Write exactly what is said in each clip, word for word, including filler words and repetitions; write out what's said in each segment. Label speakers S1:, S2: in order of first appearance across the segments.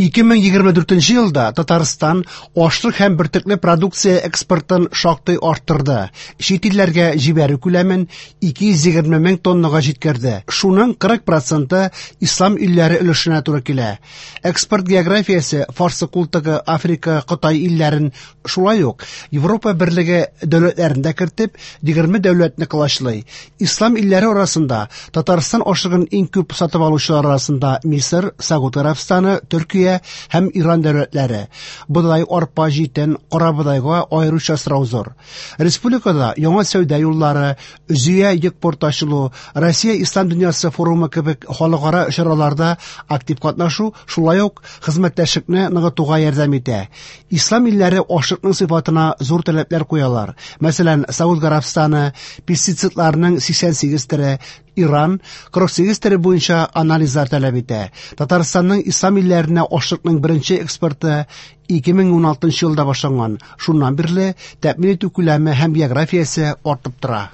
S1: ике мең егерме дүртенче елда Татарстан ашлык һәм бөртекле продукция экспортын шактый арттырды. Чит илләргә җибәрү күләмен ике йөз егерме мең тоннага җиткерде. Шуның кырык проценты ислам илләре өлешенә туры килә. Экспорт географиясе Фарсы култыгы, Африка, Кытай илләрен, шулай ук Европа берлеге дәүләтләрен дә кертеп, егерме дәүләтне колачлый. Ислам илләре арасында Татарстан ашлыгын иң күп сатып алучылар арасында Мисыр, Сауд Арабстаны, Төркия һәм Иран дәүләтләре. Бодай, арпа, җитен, кара бодайга аеруча сорау зур. Республикада яңа сәүдә юллары, Зөя йөк порты ачылу, Россия Ислам дөньясы форумы кебек халыкара чараларда актив катнашу шулай ук хезмәттәшлекне ныгытуга ярдәм итә. Ислам илләре ашлыкның сыйфатына зур таләпләр куялар. Мәсәлән, Сауд Арабстаны пестицидларның сиксән сигез төре, Иран кырык сигез төре буенча анализлар таләп итә. Татарстанның ислам илләренә ашлыкның беренче экспорты ике мең ун алтынчы елда башланган. Шуннан бирле тәэмин итү күләме һәм географиясе артып тора.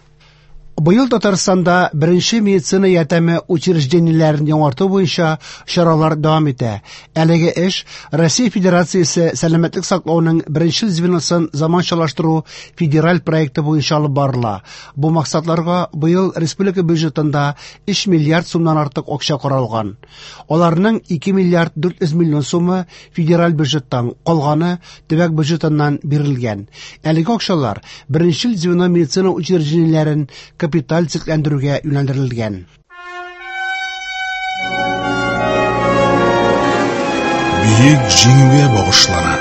S1: Быел Татарстанда беренче медицина ярдәме учреждениеләрен яңарту буенча чаралар дәвам итә. Әлеге эш Россия Федерациясе сәламәтлек саклауның беренче звеносын заманчалаштыру федераль проекты буенча алып барыла. Бу максатларга быел республика бюджетында өч миллиард сумнан артык акча каралган. Аларның ике миллиард дүрт йөз миллион сумы федераль бюджеттан, калганы төбәк бюджетыннан бирелгән. Әлеге акчалар беренче звено медицина учреждениеләрен капиталь төзекләндерүгә юнәлдерелгән.
S2: Бөек Җиңүгә багышлана.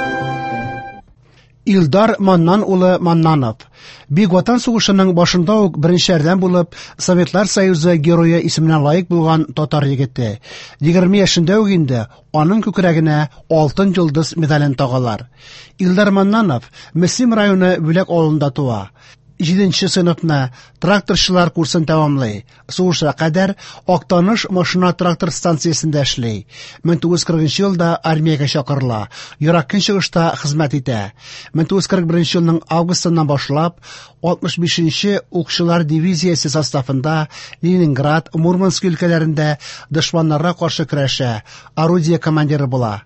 S1: Илдар Маннан улы Маннанов. Бөек Ватан сугышының башында ук беренчеләрдән булып Советлар Союзы герое исеменә лаек булган татар егете. Егерме яшендә үк инде аның күкрәгенә Алтын йолдыз медален тагалар. Илдар Маннанов Мөслим районы Бүләк авылында туа. Җиденче сыйныфны тракторчылар курсын тәмамлый. Сугышка кадәр Актаныш машина трактор станциясендә эшли. Мең тугыз йөз кырыгынчы елда армиягә чакырыла. Ерак Көнчыгышта хезмәт итә. Мең тугыз йөз кырык беренче елның августыннан башлап алтмыш бишенче укчылар дивизиясе составында Ленинград, Мурманск өлкәләрендә дошманнарга каршы көрәшә, орудие командиры була.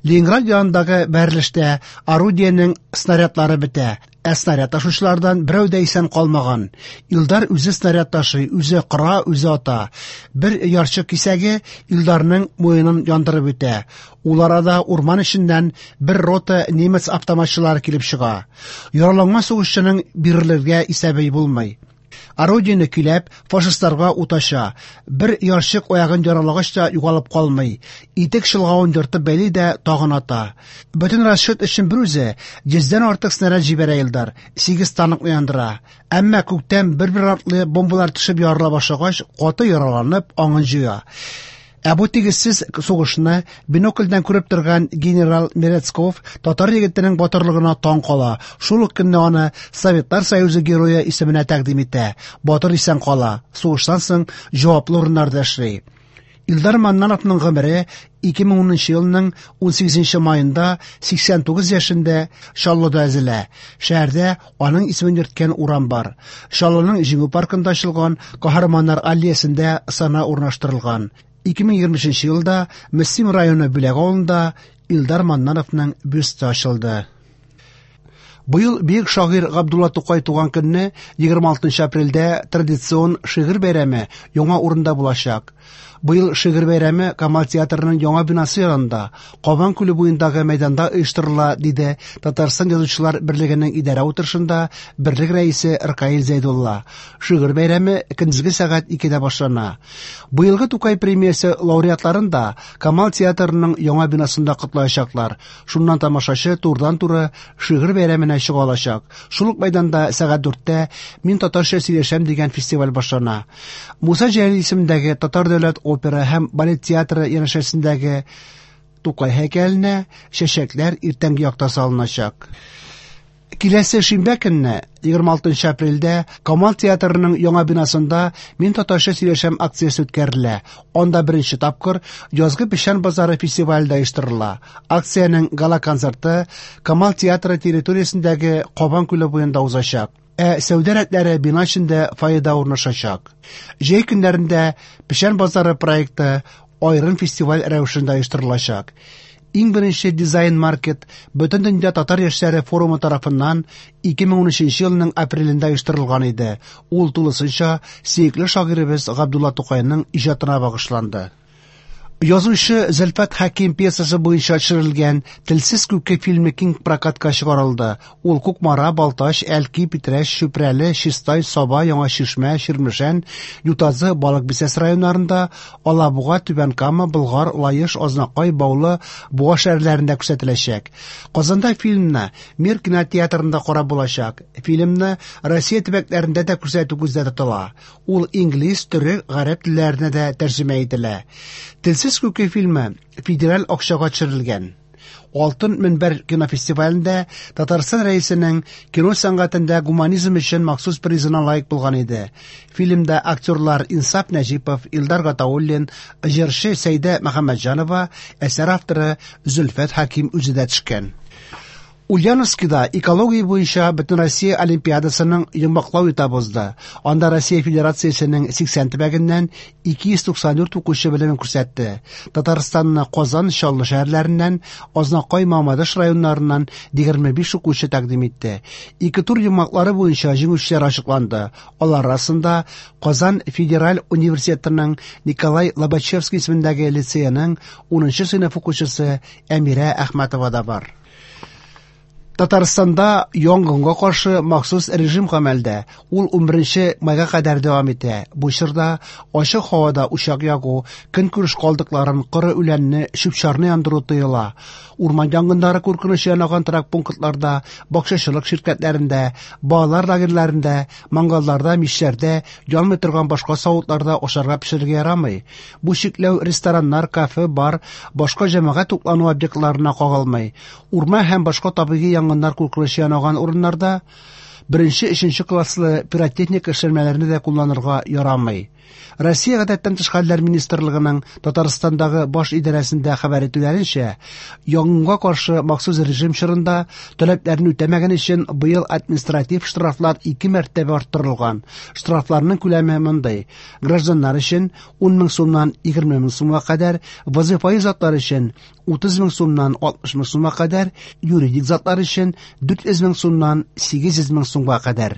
S1: Ленинград янындагы бәрелештә орудиенең снарядлары бетә. Ә снаряд ташучылардан берәү дә исән калмаган. Илдар үзе снаряд ташый, үзе кыра, үзе ата. Бер ярчык кисәге Илдарның муенын яндырып үтә. Ул арада урман эченнән бер рота немец автоматчылары килеп чыга. Яраланган сугышчының бирелергә исәбе булмый. Орудиене көйләп, фашистларга ут ача. Бер ярчык аягын яралагач та югалып калмый. Итек чолгавын ертып бәйли дә тагын ата. Бөтен расчет өчен бер үзе йөздән артык снаряд җибәрә Илдар, сигез танкны яндыра. Әмма күктән бер-бер артлы бомбалар төшеп ярыла башлагач, каты яраланып аңын җуя. Ә бу тигезсез сугышны бинокльдән күреп торган генерал Мерецков татар егетенең батырлыгына таң кала. Шул ук көнне аны Советлар Союзы герое исеменә тәкъдим итә. Батыр исән кала. Сугыштан соң җаваплы урыннарда эшли. Илдар Маннановның гомере ике мең унынчы елның унсигезенче майында сиксән тугыз яшендә Чаллыда өзелә. Шәһәрдә аның исемен йөрткән урам бар. Чаллының Җиңү паркында ачылган Каһарманнар аллеясендә сана урнаштырылган. Ике мең егерме өченче елда Мөслим районы Бүләк авылында Илдар Маннановның бюсты ачылды. Быел бөек шагыйрь Габдулла Тукай туган көнне егерме алтынчы апрельдә традицион шигырь бәйрәме яңа урында булачак. Быел шигырь бәйрәме Камал театрының яңа бинасы янында, Кабан күле буендагы мәйданда оештырыла, диде Татарстан Язучылар берлегенең идарә утырышында берлек рәисе Ркаил Зәйдулла. Шигырь бәйрәме көндезге сәгать икедә башлана. Быелгы Тукай премиясе лауреатларын да Камал театрының яңа бинасында котлаячаклар. Шуннан тамашачы турыдан-туры шигырь бәйрәменә чыга алачак. Шул ук мәйданда сәгать дүрттә Мин татарча сөйләшәм дигән фестиваль башлана. Муса Җәлил исемендәге Татар дәүләт опера һәм балет театры янәшәсендәге Тукай һәйкәленә чәчәкләр иртәнге якта салыначак. Киләсе шимбә көнне, егерме алтынчы апрельдә, Камал театрының яңа бинасында Мин татарча сөйләшәм акциясе үткәрелә. Анда беренче тапкыр Язгы печән базары фестивале дә оештырыла. Акциянең гала-концерты Камал театры территориясендәге Кабан күле буенда узачак. Ә сәүдә рәтләре бина эчендә фойеда урнашачак. Җәй көннәрендә Печән базары проекты аерым фестиваль рәвешендә оештырылачак. Иң беренче дизайн-маркет Бөтендөнья татар яшьләре форумы тарафыннан ике мең унөченче елның апрелендә оештырылган иде. Ул тулысынча сөекле шагыйребез Габдулла Тукайның иҗатына багышланды. Язучы Зөлфәт Хәким пьесасы буенча төшерелгән Телсез күке фильмы киң прокатка чыгарылды. Ул Кукмара, Балтач, Әлки, Питрәч, Чүпрәле, Чистай, Саба, Яңа Чишмә, Чирмешән, Ютазы, Балык Бистәсе районнарында, Алабуга, Түбән Кама, Болгар, Лаеш, Азнакай, Баулы, Буа шәһәрләрендә күрсәтеләчәк. Казанда фильмны Мир кинотеатрында карап булачак. Фильмны Россия төбәкләрендә дә күрсәтү күздә тотыла. Ул инглиз, төрек, гарәп телләренә дә тәрҗемә ителә. Телсез күке фильмы федераль акчага төшерелгән. Алтын мөнбәр кинофестивалендә Татарстан рәисенең кино сәнгатендә гуманизм өчен махсус призына лаек булган иде. Фильмда актерлар Инсаф Нәҗипов, Илдар Гатауллин, җырчы Сәйдә Мөхәммәтҗанова, әсәр авторы Зөлфәт Хәким үзе дә төшкән. Ульяновскида экология буенча Бөтенроссия олимпиадасының йомгаклау этабы узды. Анда Россия Федерациясенең сиксән төбәгеннән ике йөз туксан дүрт укучы белемен күрсәтте. Татарстанны Казан, Чаллы шәһәрләреннән, Азнакай, Мамадыш районнарыннан егерме биш укучы тәкъдим итте. Ике тур йомгаклары буенча җиңүчеләр ачыкланды. Алар арасында Казан Федераль университетының Николай Лобачевский исемендәге лицееның унынчы сыйныф укучысы Әмирә Әхмәтова да бар. Татарстанда янгынга каршы махсус режим гамәлдә. Ул унберенче майга кадәр дәвам итә. Бу чорда ачык һавада учак ягу, көнкүреш калдыкларын, коры үләнне, чүп-чарны яндыру тыела. Урман янгыннары куркынычы янаган торак пунктларда, бакчачылык ширкәтләрендә, балалар лагерьләрендә, мангалларда, мичләрдә, янмый торган башка савытларда ашарга пешерергә ярамый. Бу чикләү рестораннар, кафе, бар, башка җәмәгать туклану объектларына кагылмый. Урман һәм башка табигый янгыннар куркынычы янаган урыннарда беренче, өченче класслы пиротехника эшләнмәләрне дә кулланырга ярамый. Россия Гадәттән тыш хәлләр министрлыгының Татарстандагы баш идарәсендә хәбәр итүләренчә, янгынга каршы махсус режим чорында таләпләрне үтәмәгән өчен быел административ штрафлар ике мәртәбә арттырылган. Штрафларның күләме мондый: гражданнар өчен ун мең сумнан егерме мең сумга кадәр, вазифаи затлар өчен утыз мең сумнан алтмыш мең сумга кадәр, юридик затлар өчен дүрт йөз мең сумнан сигез йөз мең сумга кадәр.